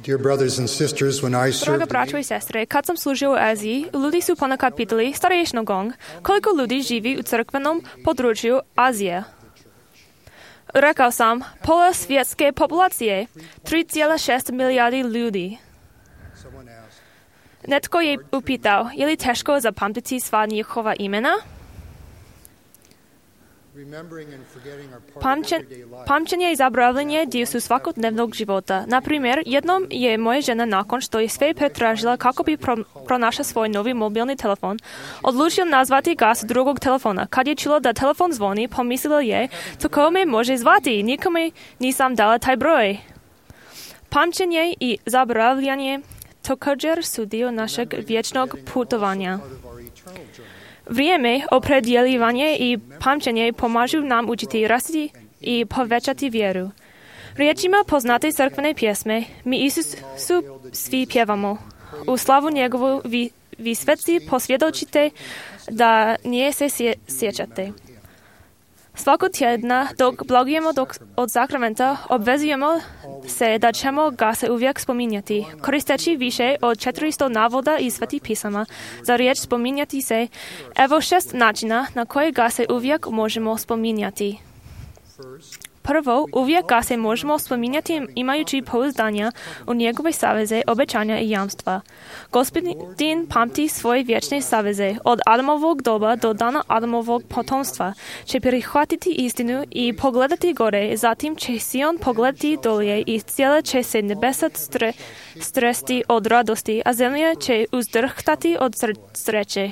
Dear brothers and sisters, when I Дорога served braćo i sestre, kad sam služio u Aziji, ljudi su ponekad pitali starejšinu gong, koliko ljudi živi u crkvenom području Azije. Rekao sam, pola svjetske populacije, 3,6 milijardi ljudi. Netko je upitao, je li teško zapamtiti sva njihova imena? Pamćenje i zaboravljanje dio su svakodnevnog života. Na primjer, jednom je moja žena nakon što je sve pretražila kako bi pronašla svoj novi mobilni telefon, odlučila nazvati gas drugog telefona. Kad je čula da telefon zvoni, pomislila je, tko me može zvati, nikome nisam dala taj broj. Pamćenje i zaboravljanje također su dio našeg vječnog putovanja. Vrijeme, opredjeljivanje i pamćenje pomažu nam učiti, rasti i povećati vjeru. Riječima poznate crkvene pjesme, mi Isusu svi pjevamo. U slavu njegovu vi svetci posvjedočite da nje se sjećate. Svakog tjedna dok blagujemo od sakramenta obvezujemo se da ćemo ga se uvijek spominjati. Koristeći više od 400 navoda iz svetih pisama za riječ spominjati se, evo 6 načina na koje ga se uvijek možemo spominjati. Prvo, uvijek ga se možemo spominjati imajući pouzdanja u njegove saveze, obećanja i jamstva. Gospodin pamti svoje vječne saveze. Od Adamovog doba do dana Adamovog potomstva će prihvatiti istinu i pogledati gore, zatim će Sion pogledati dolje i cijela će se nebesa stresti od radosti, a zemlja će uzdrhtati od sreće.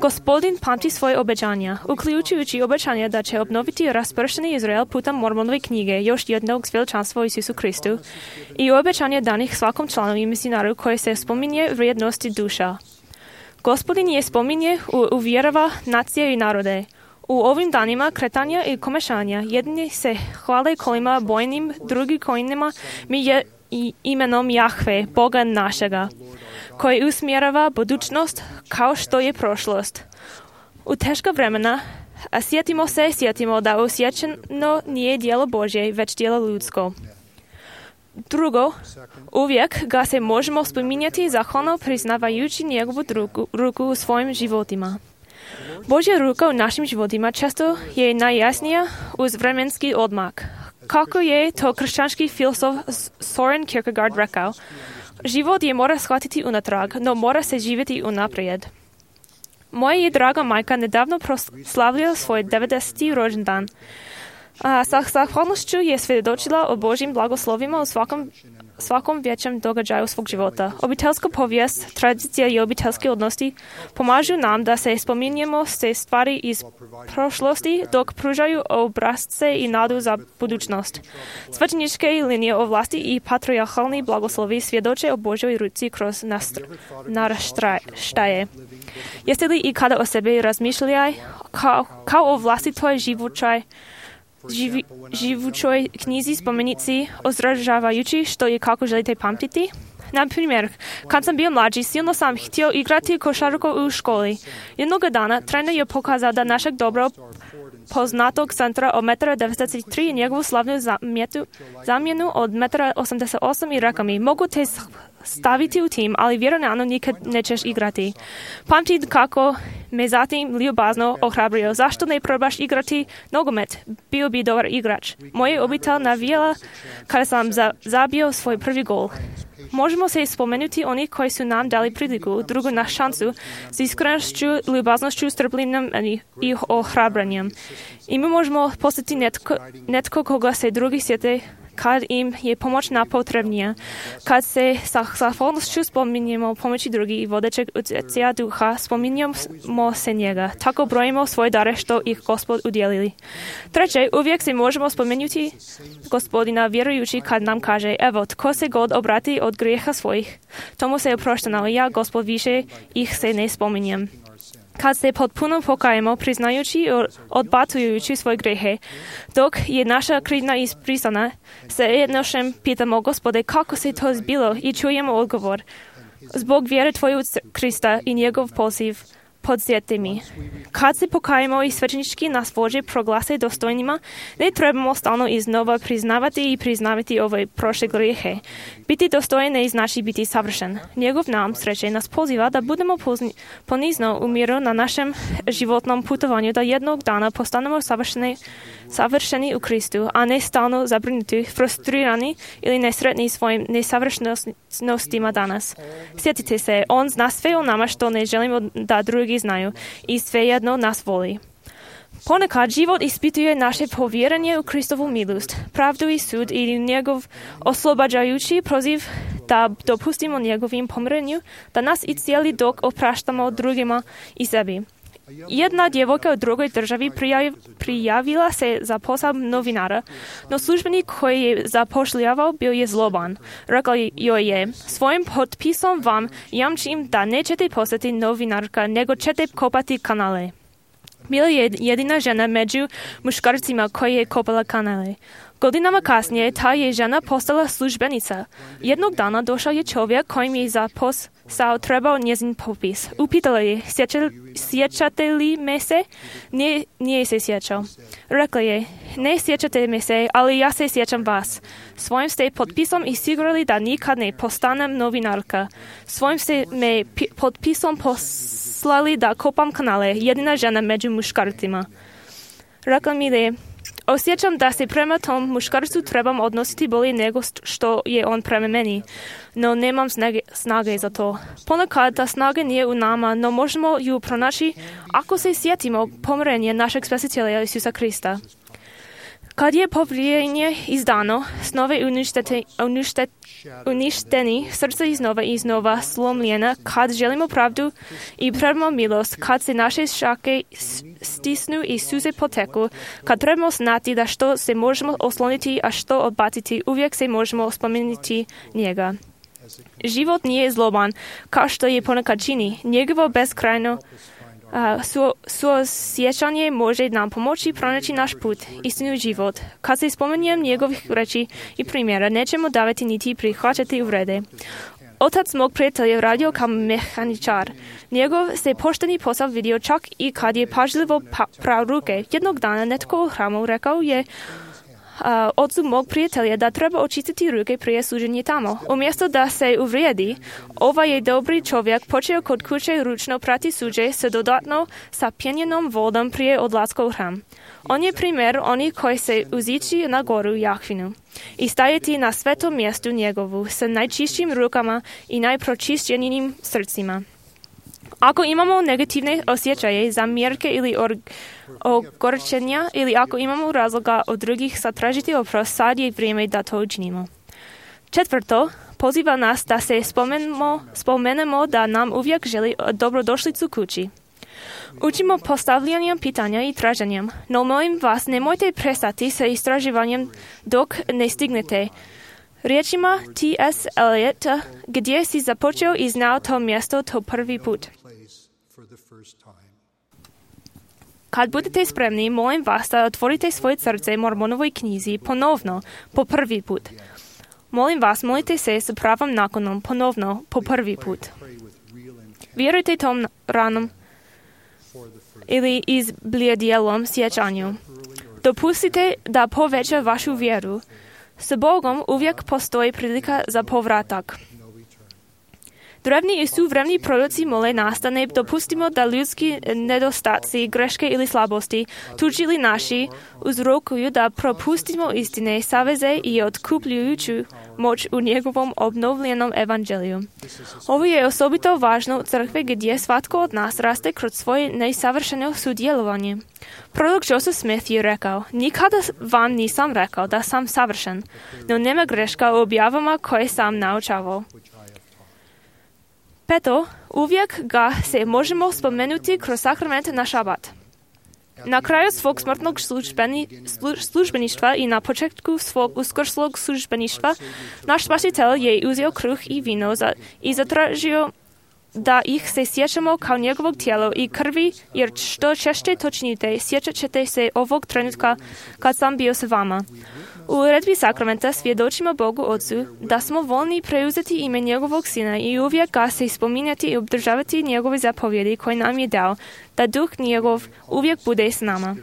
Gospodin pamti svoje obećanja, uključujući obećanje da će obnoviti raspršeni Izrael putem Mormonove knjige, još jednog svjedočanstva Isusu Kristu, i obećanje danih svakom članu i misionaru koji se spominje vrijednosti duša. Gospodin je spominje uvjerava nacije i narode. U ovim danima kretanja i komešanja jedni se hvale kolima bojnim, drugi kojima mi je imenom Jahve, Boga našega, koji usmjerava budućnost kao što je prošlost. U teška vremena sjetimo da osjećano nije djelo Božje, već djelo ljudsko. Drugo, uvijek ga se možemo spominjati zahvalno priznavajući njegovu ruku u svojim životima. Božja ruka u našim životima često je najjasnija uz vremenski odmak. Kako je to kršćanski filozof Soren Kierkegaard rekao, život je mora shvatiti unatrag, no mora se živjeti unaprijed. Moja je draga majka nedavno proslavila svoj 90. rođendan. Sa zahvalnošću je svjedočila o Božjim blagoslovima u svakom većem događaju svog života. Obiteljska povijest, tradicija i obiteljske odnosi pomažu nam da se spominjemo se stvari iz prošlosti dok pružaju obrazce i nadu za budućnost. Svećeničke linije o vlasti i patrijarhalni blagoslovi svjedoče o Božjoj ruci kroz naraštaje. Jeste li ikada o sebi razmišljali kao o vlastitoj živućoj knjizi spomenici ozražavajući što i kako želite pamtiti? Na primjer, kad sam bio mlađi, silno sam htio igrati košarku u školi. Jednoga dana trener je pokazao da našeg dobro poznatog centra od 1,93 m i njegovu slavnu zamjenu od 1,88 m i rekao mi, mogu te staviti u tim, ali vjerojatno nikad nećeš igrati. Pamtim kako me zatim ljubazno ohrabrio. Zašto ne probaš igrati nogomet? Bio bi dobar igrač. Moja obitelj navijala kada sam zabio svoj prvi gol. Možemo se spomenuti oni koji su nam dali priliku, drugu na šansu, s iskrenošću, ljubaznošću, strpljenjem i ohrabranjem. I mi možemo postati netko koga se drugi sjete kad im je pomoć najpotrebnija. Kad se sa zahvalnošću spominjemo pomoći drugi i vodećeg utjecaja duha, spominjemo se njega. Tako brojimo svoje dare što ih Gospod udjelili. Treće, uvijek se možemo spomenuti Gospodina vjerujući kad nam kaže, evo, tko se god obrati od grijeha svojih, tomu se je oprošteno, ja, Gospod, više ih se ne spominjem. Kad se potpuno pokajemo, priznajući i odbacujući svoje grehe, dok je naša krivnja izbrisana, se jednošem pitamo, Gospode, kako se to zbilo, i čujemo odgovor. Zbog vjere Tvoje u Krista i njegov poziv, podsjetimi. Kad se покаємо и свеченички нас Божие прогласи достойнима, не trebamo stalno iznova priznavati i priznavati ove prošle grijehe. Biti dostojen ne znači biti savršen. Njegov nam sreće nas poziva da budemo ponizno u miru na našem životnom putovanju, da jednog dana postanemo savršeni u Kristu, a ne stalno zabrinuti, frustrirani ili nesretni svojim nesavršenostima danas. Sjetite se, on zna sve o nama što ne želimo da drugi znaju i svejedno nas voli. Ponekad život ispituje naše povjerenje u Kristovu milost, pravdu i sud i njegov oslobađajući proziv da dopustimo njegovim pomirenju, da nas i cijeli dok opraštamo drugima i sebi. Jedna djevojka u drugoj državi prijavila se za posao novinara, no službenik koji je zapošljavao bio je zloban. Rekao joj je, svojim potpisom vam jamčim da nećete postati novinarka, nego ćete kopati kanale. Bila je jedina žena među muškarcima koji je kopala kanale. Godinama kasnije ta je žena postala službenica. Jednog dana došao je čovjek kojim je za posao trebao njezin popis. Upitala je, sjećate li me se? Nije se sjećao. Rekla je, ne sjećate me se, ali ja se sjećam vas. Svojim ste potpisom osigurali da nikad ne postanem novinarka. Svojim ste me potpisom poslali da kopam kanale, jedina žena među muškarcima. Rekla mi je, osjećam da se prema tom muškarcu trebam odnositi bolje nego što je on prema meni, no nemam snage za to. Ponekad ta snaga nije u nama, no možemo ju pronaći ako se sjetimo pomirenja našeg Spasitelja Isusa Krista. Kad je povjerenje izdano, snove uništeni, srce iznova slomljena, kad želimo pravdu i trebamo milost, kad se naše šake stisnu i suze poteku, kad trebamo znati da što se možemo osloniti, a što odbaciti, uvijek se možemo spomenuti njega. Život nije zloban, kao što je ponekad čini. Njegovo beskrajno suosjećanje može nam pomoći pronaći naš put, istinu život. Kad se spomenjem njegovih reči i primjera, nećemo davati niti prihvaćati uvrede. Otac mog prijatelja radio kao mehaničar. Njegov se pošteni posao vidio čak i kad je pažljivo prao ruke. Jednog dana netko u hramu rekao je ocu mog prijatelja da treba očistiti ruke prije služenja tamo. Umjesto da se uvrijedi, ovaj je dobri čovjek počeo kod kuće ručno prati suđe se dodatno sa pjenjenom vodom prije odlaska u hram. On je primjer onih koji se uzići na goru Jahvinu i stajati na svetom mjestu njegovu sa najčišćim rukama i najpročišćenijim srcima. Ako imamo negativne osjećaje, zamjerke ili ogorčenja ili ako imamo razloga od drugih zatražiti oprost, sad je vrijeme da to učinimo. Četvrto, poziva nas da se spomenemo da nam uvijek želi dobrodošlicu kući. Učimo postavljanjem pitanja i traženjem, no molim vas nemojte prestati sa istraživanjem dok ne stignete. Riječima T.S. Eliota, gdje si započeo i znao to mjesto to prvi put. Kad budete spremni, molim vas da otvorite svoje srce Mormonovoj knjizi ponovno, po prvi put. Molim vas, molite se s pravom nakonom ponovno, po prvi put. Vjerujte tom ranom ili izblijedjelom sjećanju. Dopustite da poveća vašu vjeru. S Bogom uvijek postoji prilika za povratak. Drevni i suvremni proroci mole nas da ne dopustimo da ljudski nedostaci, greške ili slabosti, tuđi ili naši, uzrokuju da propustimo istine, saveze i otkupljujuću moć u njegovom obnovljenom evanđeliju. Ovo je osobito važno u crkvi gdje svatko od nas raste kroz svoje nesavršeno sudjelovanje. Prorok Joseph Smith je rekao, nikada vam nisam rekao da sam savršen, no nema greška u objavama koje sam naučavao. Peto, uvijek ga se možemo spomenuti kroz sakrament na šabat. Na kraju svog smrtnog službeništva i na početku svog uskrslog službeništva, naš Spasitelj je uzeo kruh i vino i zatražio da ih se sjećamo kao njegovog tijela i krvi, jer što češće to činite, sjećat ćete se ovog trenutka kad sam bio s vama. U uredbi sakramenta svjedočimo Bogu Otcu da smo voljni preuzeti ime njegovog Sina i uvijek ga se spominjati i obdržavati njegove zapovjedi koje nam je dao, da Duh njegov uvijek bude s nama.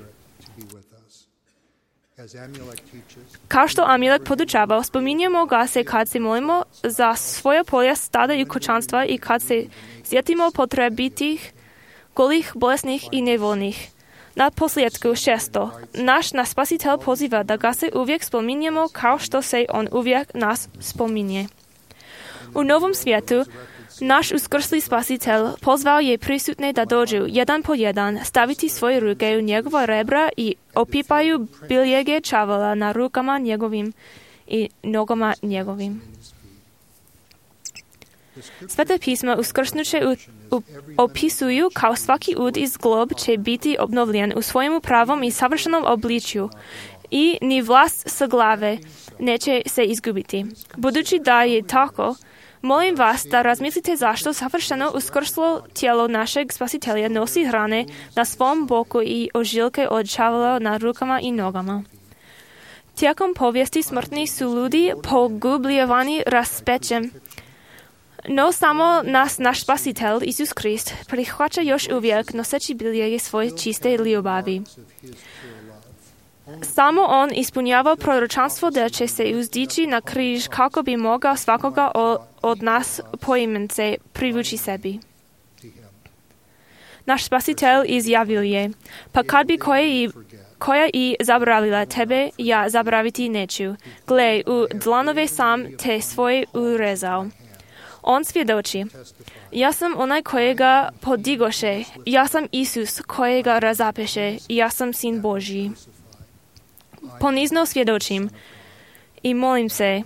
Kao što Amilek podučava, spominjemo ga se kad se molimo za svoja polja, stada i kućanstva i kad se sjetimo potrebitih, golih, bolesnih i nevoljnih. Na posljedku 6. Naš Spasitelj poziva da ga se uvijek spominjemo kao što se on uvijek nas spominje. U novom svijetu naš uskrsli Spasitelj pozvao je prisutne da dođu jedan po jedan, staviti svoje ruke u njegova rebra i opipaju biljege čavola na rukama njegovim i nogama njegovim. Svete pisma uskrsnuće opisuju kao svaki ud iz glob će biti obnovljen u svojemu pravom i savršenom obličju i ni vlas sa glave neće se izgubiti. Budući da je tako, molim vas da razmislite zašto savršeno uskrslo tijelo našeg Spasitelja nosi hrane na svom boku i ožiljke od čavola na rukama i nogama. Tijekom povijesti smrtni su ljudi pogubljivani raspečem, no samo naš Spasitelj, Isus Krist, prihvaća još uvijek noseći biljege svoje čiste ljubavi. Samo on ispunjava proročanstvo da će se uzdići na križ kako bi mogao svakoga od nas poimence privući sebi. Naš Spasitelj izjavio je, pa kad bi koja i zaboravila tebe, ja zaboraviti neću. Gle, u dlanove sam te svoje urezao. On svjedoči, ja sam onaj kojega podigoše, ja sam Isus kojega razapeše, ja sam Sin Božji. Ponizno svjedočim i molim se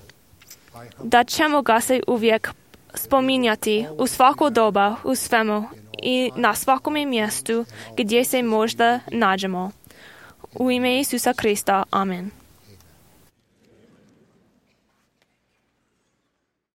da ćemo ga se uvijek spominjati u svako doba, u svemu i na svakome mjestu gdje se možda nađemo. U ime Isusa Krista. Amen.